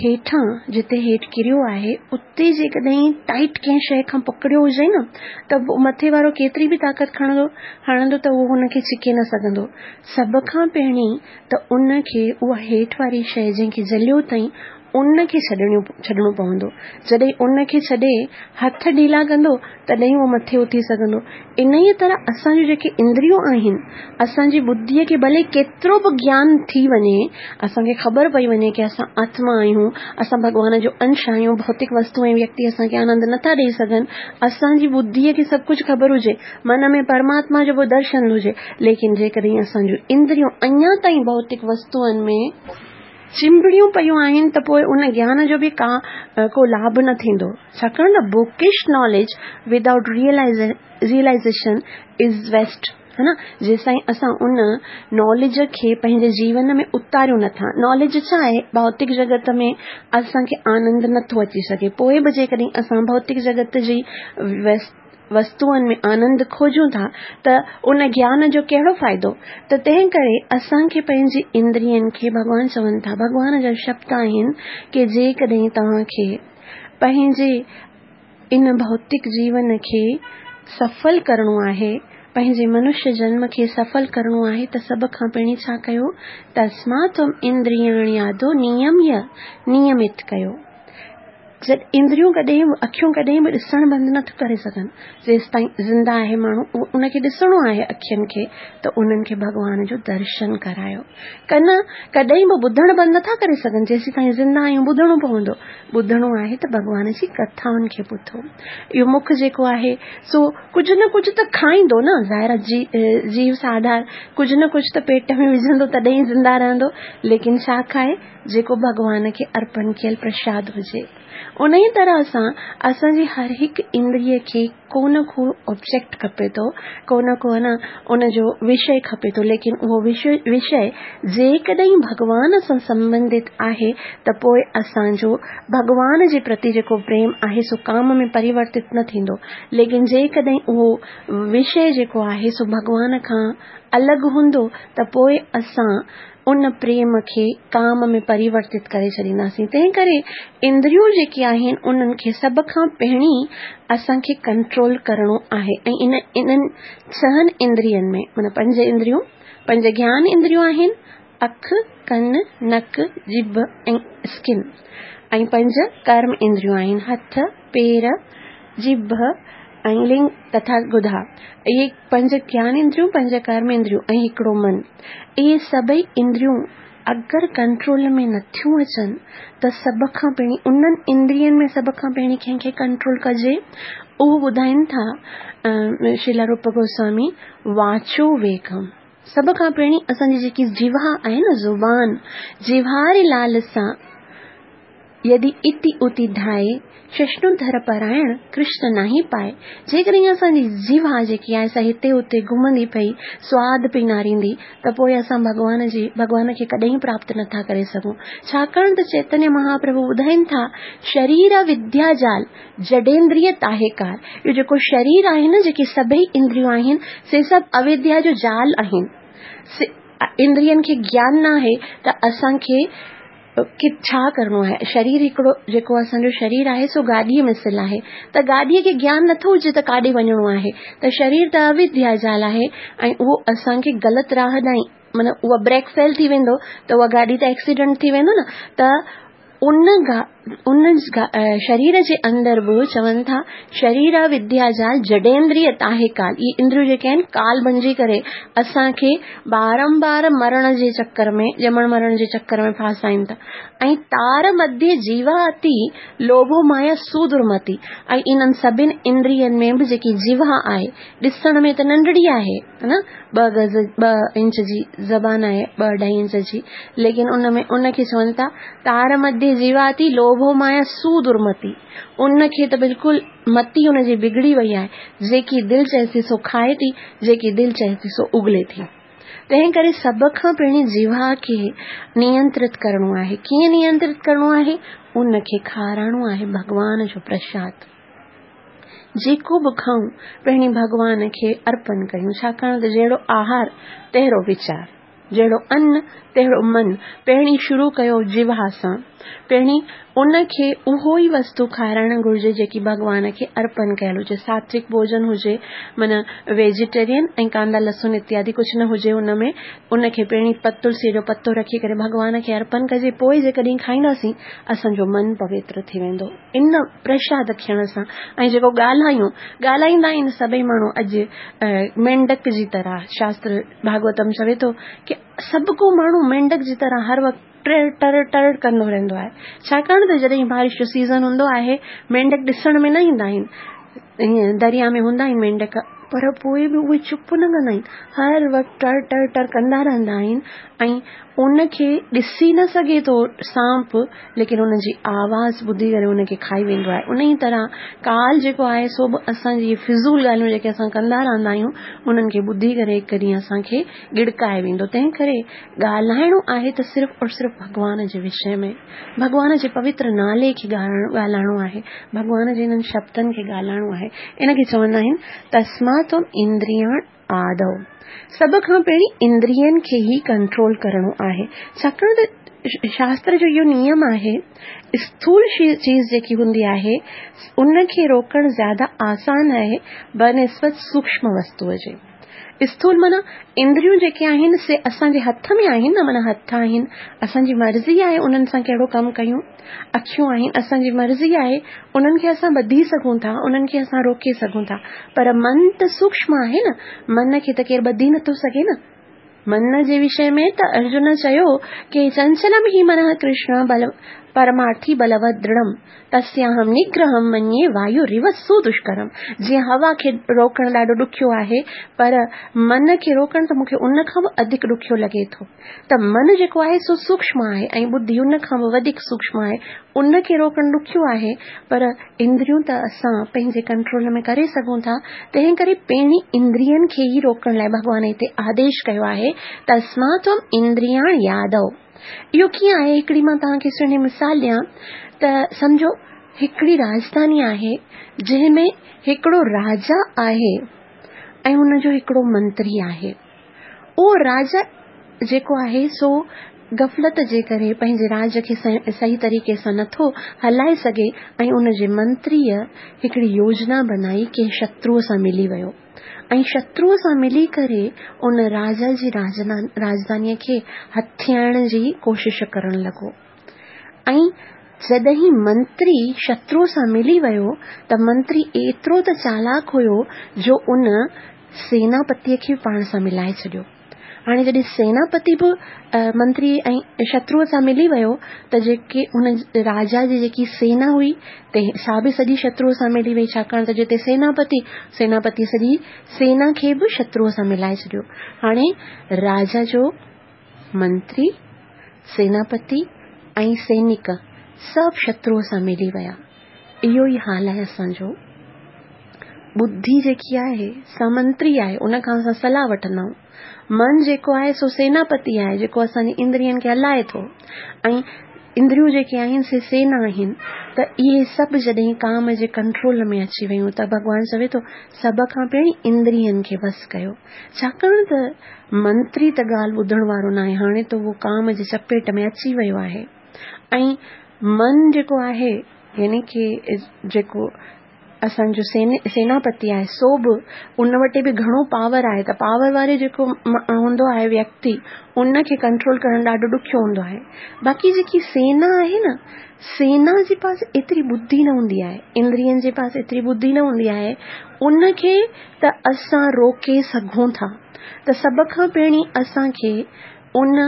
هيٺان جتي هيٺ ڪريو آهي اتي جيڪڏهن ٽائيٽ ڪنهن شيء کان پڪڙيو هجي نه ته مٿي وارو ڪيتري به طاقت کڻندو هڻندو ته اهو هن کي ڇڪي نه سگهندو. سڀ کان پهرين ته ان کي اها هيٺ واري شيء جنهن کي جهليو اٿئين ان کي ڇڏڻو پوندو. جڏهن ان کي ڇڏي هٿ ڍيلا ڪندو، تڏهن اهو مٿي اٿي سگهندو. انهيء طرح اسان جون جيڪي اندريون آهن، اسان جي ٻڌيء کي ڀلي ڪيترو به گيان ٿي وڃي، اسان کي خبر پئي وڃي ڪي اسان آتما آهيون، اسان ڀڳوان جو انش آهيون، ڀوتڪ وستو ۽ ويڪتي اسان کي آنند نٿا ڏيئي سگهن، اسان جي ٻڌيء کي سڀ ڪجهه خبر هجي، من ۾ پرماتما جو به درشن هجي، ليڪن جيڪڏهن اسان جون اندريون اڃا تائين ڀوتڪ وستوئن ۾. چنبڙيون پيون آهن ته پوء ان گيان جو به ڪا ڪو لاڀ نه ٿيندو، ڇاڪاڻ ته bookish knowledge without realization is waste ها نه جيستائين اسان ان ناليج کي پنهنجي جيون ۾ اتاريون نٿا. ناليج ڇا آهي؟ ڀوتڪ جڳت ۾ اسان کي آنند نٿو اچي سگهي پوء به جيڪڏهن اسان ڀوتڪ جڳت جي وستوئن ۾ آنند کوجون ٿا ته ان گيان جو ڪهڙو فائدو؟ ته تنهن ڪري اسان کي پنهنجي اندرين کي ڀڳوان چون ٿا، ڀڳوان جا شبد آهن ڪي جيڪڏهن توهان کي پنهنجي ان ڀوتڪ جيون کي سڦل ڪرڻو آهي، پنهنجي منشيه جنم کي سڦل ڪرڻو آهي ته سڀ کان پهرين ڇا ڪيو؟ تسمات تم اندرياڻي آدو نيميه، نيمت ڪيو. اندريون ڪڏهن به اکيون ڪڏهن به ڏسڻ بند نه ٿيون ڪري سگهن. جيستائين زنده آهي ماڻهو ان کي ڏسڻو آهي اکين کي ته انهن کي ڀڳوان جو درشن ڪرايو. ڪن ڪڏهن به ٻڌڻ بند نه ٿا ڪري سگهن جيسيتائين زنده آهيون ٻڌڻو پوندو. ٻڌڻو آهي ته ڀڳوان جي ڪٿائن کي ٻڌو. اهو مک جيڪو آهي سو ڪجهه نه ڪجهه ته کائيندو نه ظاهر آهي جيو سان آڌار ڪجهه نه ڪجهه ته پيٽ ۾ وجهندو تڏهن ئي زنده رهندو ليڪن ڇا کائي؟ جيڪو ڀڳوان کي ارپڻ ڪيل پرشاد هجي. انهيء طرح سان اسان جي هر هڪ اندريء کي ڪو نه ڪو آبجيڪٽ کپي ٿو، ڪو نه ڪو نه ان جو وشيه کپي ٿو، ليڪن اهو وشيه جيڪڏهن ڀڳوان سان سنبنڌت آهي ته پوء اسان جو ڀڳوان جي پرتي جيڪو پريم آهي سو ڪام ۾ پريورتت نه ٿيندو، ليڪن جيڪڏهن اهو وشيه جيڪو آهي سو ڀڳوان کان الڳ هوندو ته پوء اسان ان پريم کي ڪام ۾ پريورتت ڪري ڇڏينداسين. تنهن ڪري اندريون جيڪي آهن انهن کي سڀ کان پهرين اسان کي ڪنٽرول ڪرڻو آهي ۽ ان انهن ڇهن اندرين ۾ معنيٰ پنج اندريون، پنج گيان اندريون آهن، اک، ڪن، نڪ، ڄڀ ۽ اسڪن ۽ پنج ڪرم اندريون آهن، هٿ، پير، ڄڀ ۽ لنگ تٿا گدا. اهي پنج گيان اندريون، پنج ڪرم اندريون ۽ هڪڙو من. اهي سڀئي اندريون اگر ڪنٽرول ۾ نٿيون اچن ته سڀ کان پهرين انهن اندرين ۾ سڀ کان پهرين ڪنهن کي ڪنٽرول ڪجي؟ اهو ٻڌائين ٿا شريلا روپ گوسوامي واچو ويگم. سڀ کان پهرين اسان جي جيڪي جيوا آهي نه زبان، جيواري لالسا يدي اتي اتي ڌائي، چشنو ڌر پرائڻ، ڪرشن ناهي پائي. جيڪڏهن اسان جي جيوا جيڪي آهي سا هتي هتي گهمندي پئي، سواد پئي ناريندي ته پوء اسان ڀڳوان جي ڀڳوان کي ڪڏهن پراپت نٿا ڪري سگهون. ڇاڪاڻ ته چيتنيه مهاپرڀو ٻڌائين ٿا، شرير وديا جال، جڙيندريه تاهي ڪار. اهو جيڪو شرير آهي نه جيڪي سڀئي اندريون آهن سي سڀ اويديا جو جال آهن. اندرين کي گيان ناهي ته اسان کي کي ڇا ڪرڻو آهي؟ شرير هڪڙو جيڪو اسان جو شرير آهي سو گاڏيء مثل آهي ته گاڏيء کي گيان نٿو هجي ته ڪاڏي وڃڻو آهي ته شرير ته اويديا جال آهي ۽ اهو اسان کي غلط راهه ڏانهن معنيٰ اها بريڪ فيل ٿي ويندو ته اها گاڏي ته ايڪسيڊنٽ ٿي ويندو نه ته ان ان شرير جي اندر به چون ٿا شرير وديا جال جڙيندري تاهي ڪال اهي اندريون جيڪي آهن ڪال بنجي ڪري اسان کي بارمبار مرڻ جي چڪر ۾ ڄمڻ مرڻ جي چڪر ۾ ڦاسائين ٿا ۽ تار مڌي جيوا اتي لوڀو مايا سودرمتي ۽ انهن سڀن اندرين ۾ به جيڪي جيوا آهي ڏسڻ ۾ ته ننڍڙي آهي نه ٻه گز ٻه انچ جي زبان آهي ٻه اڍائي انچ جي ليڪن ان ۾ ان کي چون ٿا تار مڌي جيواتي لوڀو مايا سو درمتي ان کي ته بلڪل متي ان جي بگڙي وئي آهي جيڪي دل چئي ٿي سو کائي ٿي جيڪي دل چئي ٿي سو اگلي ٿي تنهن ڪري سڀ کان پهرين جيوا کي نينترت ڪرڻو آهي ڪيئن نينترت ڪرڻو آهي ان کي کارائڻو آهي ڀڳوان جو پرشاد جيڪو به کائون، پهرين ڀڳوان کي ارپن ڪيون، ڇاڪاڻ ته جهڙو آهار، تهڙو ويچار، جهڙو ان، تهڙو من. پهرين شروع ڪيو جيوا سان. پهرين ان کي اهو ئي وستو کارائڻ گهرجي جيڪي ڀڳوان کي ارپن ڪيل هجي، ساتوڪ ڀوڄن هجي، معنيٰ ويجيٽيرين ۽ ڪاندا لسن اتيادي ڪجهه نه هجي ان ۾، ان کي پهرين تلسيء جو پتو رکي ڪري ڀڳوان کي ارپن ڪجي، پوء جيڪڏهن کائينداسين اسان جو من پوتر ٿي ويندو. ان پرشاد کيڻ سان ۽ جيڪو ڳالهايون، ڳالهائيندا آهن سڀئي ماڻهو اڄ مينڍڪ جي طرح، شاستر ڀاڳوتم چوي ٿو ڪي سڀ ڪو ماڻهو مينڍڪ جي طرح هر وقت ٽر ٽر ٽر ڪندو رهندو آهي، ڇاڪاڻ ته جڏهن بارش جو سيزن هوندو آهي مينڍڪ ڏسڻ ۾ نه ايندا آهن، ائين دريا ۾ هوندا آهن مينڍڪ، پر پوء به اهي چپ نه ڪندا آهن، هر وقت ٽر ٽر ٽر ڪندا رهندا آهن ۽ ان کي ڏسي نه سگهي ٿو سانپ ليڪن ان جي آواز ٻڌي ڪري ان کي کائي ويندو آهي. انهيء طرح ڪال جيڪو آهي سو به اسان جي فضول ڳالهيون جيڪي اسان ڪندا رهندا آهيون انهن کي ٻڌي ڪري هڪ ڏينهن اسان کي ڳڙڪائي ويندو. تنهن ڪري ڳالهائڻو آهي ته صرف اور صرف ڀڳوان جي وشي ۾، ڀڳوان جي پوتر نالي کي ڳالهائڻو آهي، ڀڳوان جي انهن شبدن کي ڳالهائڻو آهي. ان کي چوندا آهن تسمات اندرياڻ آدو. سڀ کان پهرين اندرين کي ئي ڪنٽرول ڪرڻو آهي، ڇاڪاڻ ته شاستر جو اهو نيم آهي، اسٿول چيز جيڪي هوندي آهي، ان کي روڪڻ زياده آسان آهي بنسبت سوڪشم وستوء جي. اسٿول معنيٰ اندريون جيڪي آهن سي اسان جي هٿ ۾ آهن نه، معنيٰ هٿ آهن، اسان جي مرضي آهي انهن سان ڪهڙو ڪم ڪيون. اکيون آهن، اسان جي مرضي آهي، انهن کي اسان ٻڌي سگهون ٿا، انهن کي اسان روڪي سگهون ٿا، پر من ته سوڪشم آهي نه، من کي ته ڪير ٻڌي نٿو سگهي نه. من جي وشي ۾ ته ارجن چيو ڪي چنچلم هي منه ڪرشن بل پرمارٿي بلوت درڙم تسياهم نگرهم مڃي وايو سودشڪرم جيئن هوا کي روڪڻ ڏاڍو ڏکيو آهي، پر من کي روڪڻ ته مون کي ان کان به اڌڪ ڏکيو لڳي ٿو. ته من جيڪو آهي سو سوڪشم آهي ۽ ٻڌي ان کان به وڌيڪ سوڪشم آهي، ان کي روڪڻ ڏکيو آهي، پر اندريون ته اسان پنهنجي ڪنٽرول ۾ ڪري سگهون ٿا، تنهن ڪري پهرين اندرين کي ئي روڪڻ لاء ڀڳوان هتي آديش ڪيو آهي، تسمات تم اندرياڻ يادو. اهو ڪيئن آهي؟ هڪڙي مان توهان کي سهڻي مثال ڏيان ته سمجهو هڪڙي راڄڌاني آهي، جنهن ۾ هڪڙو راجا آهي ۽ ان جو هڪڙو منتري آهي. اهو راجا جيڪو آهي سو غفلت جي ڪري پنهنجي راڄ کي صحيح طريقي سان نٿو هلائي سگهي ۽ ان جي منتريء هڪڙي يوجنا بنائي ڪنهن شتروء سان ملي ويو ۽ شتروء سان ملي ڪري ان راجا جي راڄڌانيء کي هٿيائڻ جي ڪوشش ڪرڻ لڳو ۽ جڏهن منتري شتروء سان ملي ويو ته منتري ايترو ته چالاڪ هيو جو ان سيناپتيء کي به پاڻ سان ملائي ڇڏيو. هاڻي جڏهن سيناپتي به منتري ۽ شتروء سان ملي ويو ته جيڪي ان راجا جي جيڪي سينا هئي تنهن سا به سڄي شتروء سان ملي وئي ڇاڪاڻ ته جتي سيناپتي، سيناپتي سڄي سينا کي به شتروء سان ملائي ڇڏيو. هاڻي راجا جو منتري، سيناپتي ۽ سينڪ سڀ شتروء سان ملي ويا. اهو ئي حال آهي اسان جو. ٻڌي جيڪي آهي سا منتري آهي، ان کان اسان صلاح وٺندا آهيون. من جيڪو آهي سو سيناپتي آهي، جيڪو اسان جي اندرين کي هلائي ٿو ۽ اندريون جيڪي آهن سي سينا آهن ته اهي سڀ جڏهن ڪام جي ڪنٽرول ۾ اچي ويون ته ڀڳوان چوي ٿو سڀ کان پهرين اندرين کي وس ڪيو، ڇاڪاڻ ته منتري ته ڳالهه ٻڌڻ وارو ناهي، هاڻي ته اهو ڪام جي چپيٽ ۾ اچي ويو آهي ۽ من جيڪو آهي يعني ڪي جيڪو اسان جو سيناپتي آهي سو به ان وٽ به گهڻو پاور آهي ته پاور واري جيڪو هوندو آهي ويڪتي ان کي ڪنٽرول ڪرڻ ڏاڍو ڏکيو هوندو آهي باقي جيڪي سينا آهي نه سينا جي پاس ايتري ٻڌي نه هوندي آهي اندرين جي پاس ايتري ٻڌي نه هوندي آهي ان کي ته اسان روڪي سگهون ٿا ته سڀ کان پهرين اسان کي ان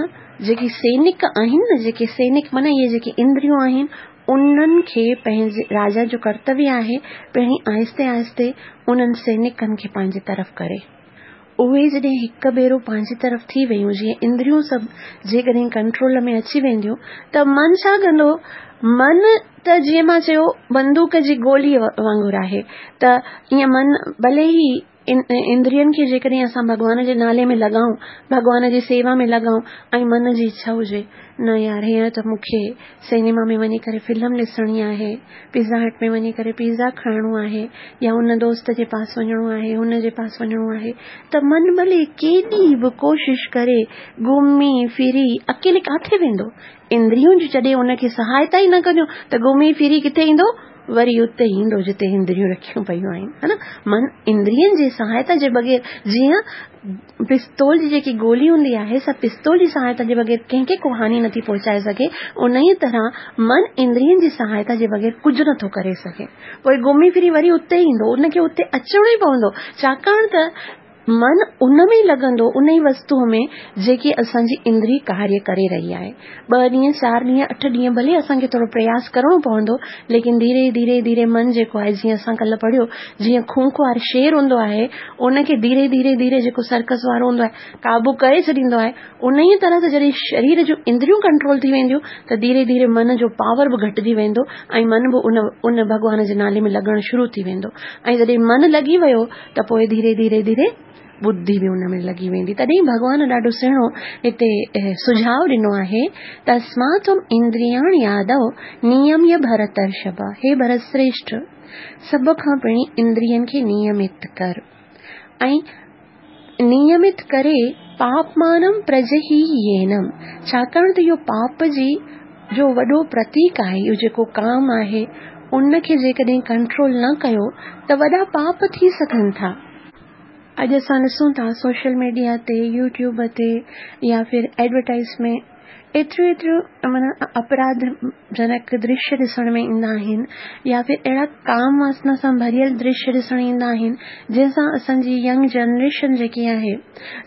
جيڪي سينڪ آهن نه جيڪي سينڪ معنيٰ اهي جيڪي اندريون آهن انهن کي پنهنجي راجا جو ڪرتويه آهي پهرين آهستي آهستي انهن سينڪن کي پنهنجي طرف ڪري. اهي جڏهن هڪ ڀيرو پنهنجي طرف ٿي ويون جيئن اندريون سڀ جيڪڏهن ڪنٽرول ۾ اچي وينديون ته من ڇا ڪندو من ته جيئن مان چيو بندوق جي گولي وانگر آهي ته ائين من ڀلي ئي اندرين کي جيڪڏهن اسان ڀڳوان جي نالي ۾ لڳائون، ڀڳوان جي سيوا ۾ لڳائون ۽ من جي اڇا هجي، نه يار هينئر ته مون کي سئنيما ۾ وڃي ڪري فلم ڏسڻي آهي، پيزا هٽ ۾ وڃي ڪري پيزا کائڻو آهي يا ان دوست جي پاس وڃڻو آهي، هن جي پاس وڃڻو آهي ته من ڀلي ڪيڏي به ڪوشش ڪري، گهمي ڦري اڪيلي ڪاٿي ويندو؟ اندريون جڏهن ان کي سهائتا ئي نه ڪنديون ته گهمي ڦري ڪٿي ايندو؟ وري اتي ايندو جتي اندريون رکيون پيون آهن ها نه من اندرين جي سهائتا جي بغير جيئن پستول جي جيڪي گولي هوندي آهي سا پستول جي سهائتا جي بغير ڪنهن کي ڪو هاني نٿي پهچائي سگهي انهيء طرح من اندرين جي سهائتا جي بغير ڪجهه نٿو ڪري سگهي پوء گهمي ڦري وري اتي ايندو ان کي اتي اچڻو ئي پوندو ڇاڪاڻ ته من ان ۾ ئي لڳندو، ان ئي وستوء ۾ جيڪي اسان جي اندري ڪاريه ڪري رهي آهي. ٻه ڏينهن، چار ڏينهن، اٺ ڏينهن ڀلي اسان کي ٿورو پرياس ڪرڻو پوندو، ليڪن ڌيري ڌيري ڌيري من جيڪو آهي، جيئن اسان ڪلهه پڙهيو، جيئن خونخوار شير هوندو آهي، ان کي ڌيري ڌيري ڌيري جيڪو سرڪس وارو هوندو آهي، قابو ڪري ڇڏيندو آهي، انهيء طرح سان جڏهن شرير جون اندريون ڪنٽرول ٿي وينديون ته ڌيري ڌيري من جو پاور به گهٽجي ويندو ۽ من به ان ان ڀڳوان جي نالي ۾ لڳڻ شروع ٿي ويندو ۽ جڏهن من لڳي ويو ته پوء ڌيري ڌيري ڌيري ٻڌي به ان ۾ لڳي ويندي. تڏهن ڀڳوان ڏاڍو سهڻو هتي سجهاء ڏنو آهي، تسمات تم اندرياڻي آدو نيميه ڀرترشڀ، هي ڀرت سريشٺ! سڀ کان پهرين اندرين کي نيمت ڪر ۽ نيمت ڪري پاپمانم پرجهيينم، ڇاڪاڻ ته اهو پاپ جي جو وڏو پرتيڪ آهي، اهو جيڪو ڪام آهي، ان کي جيڪڏهن ڪنٽرول نه ڪيو ته وڏا پاپ ٿي سگهن ٿا. اڄ اسان ڏسون ٿا سوشل ميڊيا تي، يوٽيوب تي يا ڦر ايڊورٽائيز ۾ ايتريون ايتريون معنيٰ اپراڌ جنڪ درشيه ڏسڻ ۾ ايندا آهن يا ڦر اهڙا ڪام واسنا سان ڀريل درشيه ڏسڻ ايندا آهن جنهن سان اسان جي ينگ جنريشن جيڪي آهي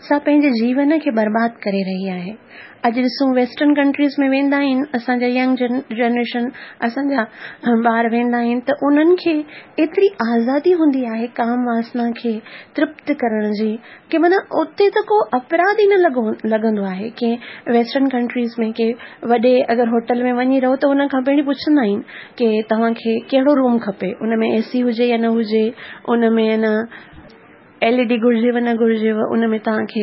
سا پنهنجي جيون کي برباد ڪري رهي آهي. اڄ ڏسون ويسٽرن ڪنٽريز ۾ ويندا آهن اسان جا ينگ جنريشن اسان جا ٻار ويندا آهن ته انهن کي ايتري آزادي هوندي آهي ڪام واسنا کي ترپت ڪرڻ جي ڪي معنيٰ اتي ته ڪو اپراڌ ئي نه لڳو لڳندو آهي ڪي ويسٽرن ڪنٽريز ۾ ڪي وڏي اگر هوٽل ۾ وڃي رهو ته ان کان پهرين پڇندا آهن ڪي توهان کي ڪهڙو روم کپي ان ۾ اي سي هجي يا نه هجي ان ۾ نه ايل اي ڊي گهرجيو نه گهرجيو ان ۾ توهان کي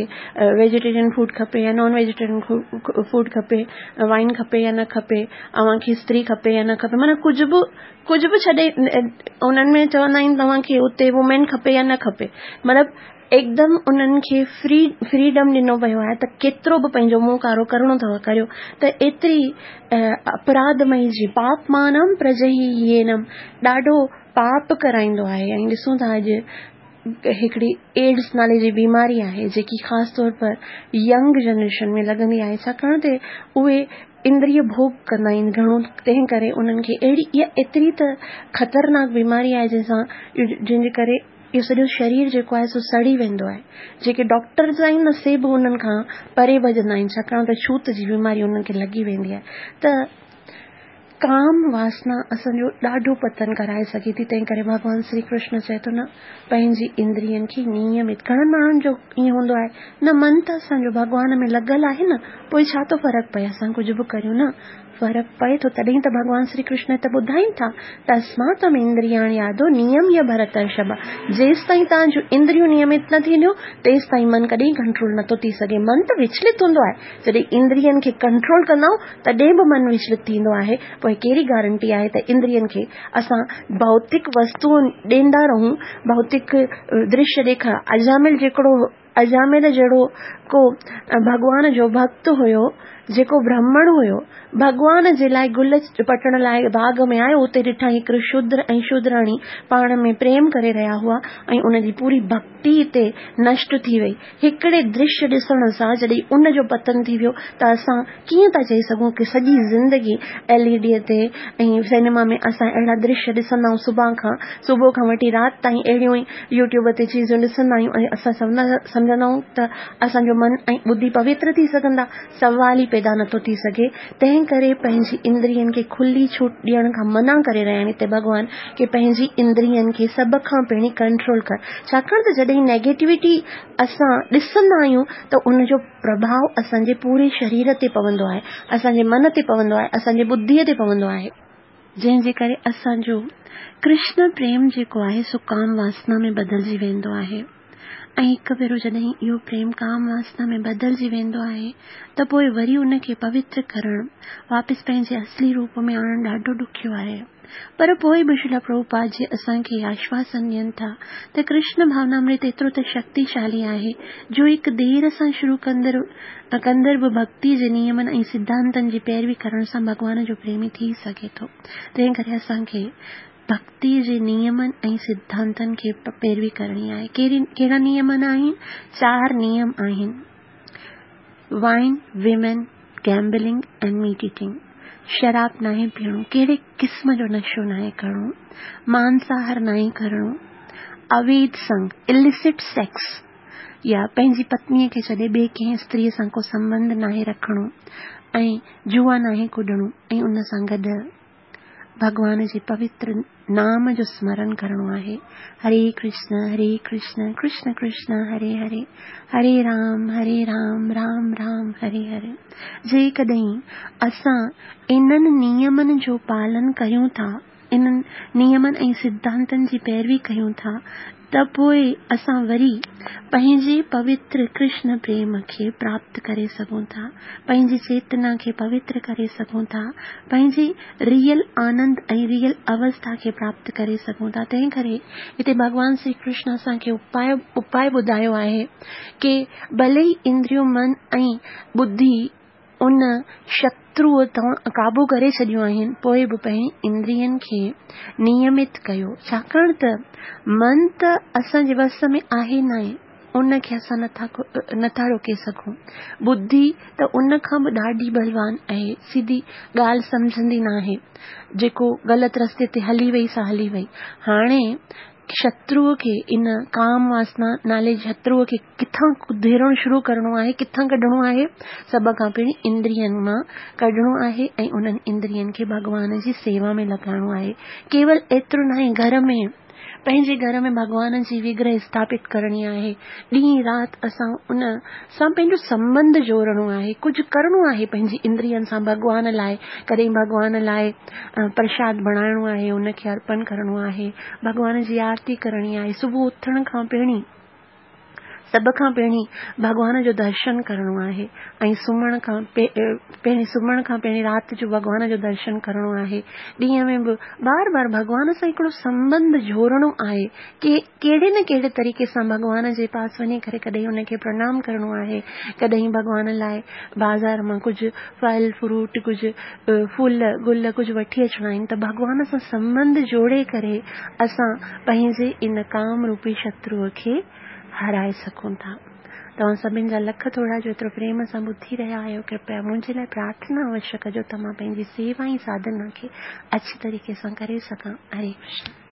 ويجيٽيرين فوڊ کپي يا نان ويجيٽيرين فوڊ کپي وائن کپي يا نه کپي اوهان کي استري کپي يا نه کپي معنيٰ ڪجهه به ڪجهه به ڇڏي انهن ۾ چوندا آهن توهان کي اتي وومين کپي يا نه کپي مطلب هڪدم انهن کي فري فريڊم ڏنو ويو آهي ته ڪيترو به پنهنجو منهن ڪارو ڪرڻو اٿو ڪريو ته ايتري اپراڌمئي جي پاپمانم پرجهيينم ڏاڍو پاپ ڪرائيندو آهي ۽ ڏسون ٿا اڄ هڪڙي ايڊز نالي جي بيماري آهي جيڪي خاص طور پر ينگ جنريشن ۾ لڳندي آهي ڇاڪاڻ ته اهي اندريه ڀوڳ ڪندا آهن گهڻو تنهن ڪري انهن کي اهڙي اها ايتري ته خطرناڪ بيماري آهي جنهن سان جنهن جي ڪري اهو سڄو شرير جيڪو آهي سو سڙي ويندو آهي. جيڪي ڊاڪٽرز آهن نه سي به انهن کان پري ڀڄندا آهن ڇاڪاڻ ته ڇوت جي بيماري انهن کي لڳي ويندي آهي ته ڪام واسنا اسان جو ڏاڍو پتن ڪرائي سگهي ٿي تنهن ڪري ڀڳوان شري ڪرشن چئي ٿو نه پنهنجي اندرين کي نيمت گهڻن ماڻهن جو ائين هوندو آهي نه من ته اسان جو ڀڳوان ۾ لڳل آهي نه پوء ڇا ٿو فرق پئي اسان ڪجهه به ڪريون نه فرق پئي ٿو تڏهن ته ڀڳوان شري ڪرشن هت ٻڌائين ٿا تسمات تم اندرياڻي آدو نيميه ڀرترشڀ جيستائين توهان جون اندريون نيمت نه ٿينديون تيستائين من ڪڏهن ڪنٽرول نٿو ٿي سگهي من ته وچلت هوندو آهي جڏهن اندرين کي ڪنٽرول ڪندا آهيون تڏهن به من وچلت ٿيندو آهي پوء ڪهڙي گارنٽي آهي ته اندرين کي اسان ڀوتڪ وستوئون ڏيندا رهون ڀوتڪ درشيه ڏيکاريا اجامل جيڪڙو اجامل جهڙو ڪو ڀڳوان جو ڀڳت هيو، جيڪو برهمڻ هيو، ڀڳوان جي لاء گل پٽڻ لاء باغ ۾ آيو، اتي ڏٺائين هڪڙو شودر ۽ شودراڻي پاڻ ۾ پريم ڪري رهيا هئا ۽ ان جي پوري ڀڳتي اتي نشٽ ٿي وئي. هڪڙي درشيه ڏسڻ سان جڏهن ان جو پتن ٿي ويو ته اسان ڪيئن ٿا چئي سگهون ڪه سڄي زندگي ايل اي ڊي تي ۽ سئنيما ۾ اسان اهڙا درشيه ڏسندا آهيون صبح کان صبح کان وٺي رات تائين اهڙيون ئي يوٽيوب تي چيزون ڏسندا آهيون ۽ اسان سمجهندا آهيون ته اسان جو من ۽ ٻڌي پوتر ٿي سگهندا، سوال ئي پيدا نٿو ٿي سگهي، تنهن ڪري پنهنجي اندرين کي کلي ڇوٽ ڏيڻ کان منع ڪري رهيا آهن هتي ڀڳوان ڪي پنهنجي اندرين کي سڀ کان پهرين ڪنٽرول ڪر ڇاڪاڻ ته جڏهن نيگيٽوٽي اسان ڏسندا آهيون ته ان جو پرڀاء اسان جي پوري شرير تي پوندو آهي، اسان جي من تي پوندو آهي، اسان جي ٻڌي تي پوندو آهي. جنهن جي ڪري اسان جو ڪرشن پريم جيڪو آهي سو ڪام واسنا ۾ بدلجي ويندو آهي. ۽ هڪ ڀيرو جڏهن اهو پريم ڪام واسنا ۾ بدلجي ويندو آهي ته پوء وري ان کي پوتر ڪرڻ، واپس پنهنجي اصلي روپ ۾ آڻڻ ڏاڍو ڏکيو آهي. پر پوء به شريلا پرڀوپاد جي اسان کي آشواسن ڏين ٿا ته ڪرشن ڀاونامرت ايترو ته شڪتيشالي آهي جو هڪ دير سان شروع ڪندڙ ڪندڙ به ڀڳتي جي نيمن ۽ سڌانتن جي پيروي ڪرڻ سان ڀڳوان جو پريمي ٿي سگهي ٿو. تنهن ڪري اسان کي ڀڳتيء جي نيمن ۽ سڌانتن کي پيروي ڪرڻي آهي. ڪهڙا نيمن آهن؟ چار نيم آهن، wine, women, gambling ۽ meat eating. شراب ناهي پيئڻو، ڪهڙي قسم جو نشو ناهي ڪرڻو، مانساهار ناهي ڪرڻو، اويڌ سنگ، Illicit Sex، يا پنهنجي پتنيء کي ڇڏي ٻئي ڪنهن استريء سان ڪو سنٻنڌ ناهي رکڻو ۽ جوا ناهي ڪڏڻو ۽ ان سان گڏ ڀڳوان جي پوتر نام جو سمرن ڪرڻو آهي، هري ڪرشن هري ڪرشن ڪرشن ڪرشن هري هري، هري رام هري رام رام رام هري هري. جيڪڏهن اسان انهن نيمن جو پالن ڪريون ٿا، انهن نيمن ۽ سڌانتن جي پيروي ڪريون ٿا ته پوء اسان وري پنهنجي پوتر ڪرشن پريم کي پراپت ڪري سگهون ٿا، پنهنجي چيتنا کي پوتر ڪري سگهون ٿا، پنهنجي ريئل آنند ۽ ريئل اوسٿا کي پراپت ڪري سگهون ٿا. تنهن ڪري هتي ڀڳوان شري ڪرشن اسان کي اپاء اپاء ٻڌايو آهي ڪي ڀلي ئي اندريون من ۽ ٻڌي ان شتروء توهان قابو ڪري ڇڏيون آهن، پوء به پنهنجي اندرين کي نيمت ڪيو، ڇاڪاڻ ته من ته اسان جي وس ۾ آهي ناهي، ان کي اسان نٿا روڪي سگهون. ٻڌي ته ان کان به ڏاڍي بلوان آهي، سڌي ڳالهه سمجهندي ناهي، جيڪو غلط رستي تي هلي وئي سا هلي وئي. هاڻي شتروء کي ان ڪام واسنا نالي شتروء کي ڪٿان ڪڌيرڻ شروع ڪرڻو آهي، ڪٿان ڪڍڻو آهي؟ سڀ کان پهرين اندرين مان ڪڍڻو آهي ۽ انهن اندرين کي ڀڳوان جي سيوا ۾ لڳائڻو آهي. ڪيول ايترو ناهي گهر ۾ پنهنجي گهر ۾ ڀڳوان جي وگرهه اسٿاپت ڪرڻي آهي. ڏينهن رات اسان ان سان پنهنجو سنٻنڌ جوڙڻو آهي. ڪجهه ڪرڻو آهي پنهنجي اندرين سان ڀڳوان لاء. ڪڏهن ڀڳوان لاء پرشاد بڻائڻو آهي، ان کي ارپن ڪرڻو آهي. ڀڳوان جي آرتي ڪرڻي آهي. صبح اٿڻ کان پهرين سڀ کان پهرين ڀڳوان جو درشن ڪرڻو آهي ۽ سمهڻ کان پهرين سمهڻ کان پهرين رات جو ڀڳوان جو درشن ڪرڻو آهي. ڏينهن ۾ به بار بار ڀڳوان سان هڪڙو سنٻنڌ جوڙڻو آهي. ڪي ڪهڙي نه ڪهڙي طريقي سان ڀڳوان جي پاس وڃي ڪري ڪڏهن ان کي پرڻام ڪرڻو آهي، ڪڏهن ڀڳوان لاء بازار مان ڪجهه ڦل فروٽ ڪجهه ڦل گل ڪجهه وٺي اچڻا آهن ته ڀڳوان سان سنٻنڌ جوڙي ڪري اسان پنهنجي ان ڪام روپي شتروء کي هارائي سگهون ٿا. توهان سڀن جا لک ٿورا جو ايترو پريم سان ٻڌي رهيا آهيو. ڪرپيا منهنجي لاء پرارٿنا اوشيه ڪجو ته مان پنهنجي سيوا ۽ ساڌنا کي اڇي طريقي سان ڪري سگهان. هري ڪرشن.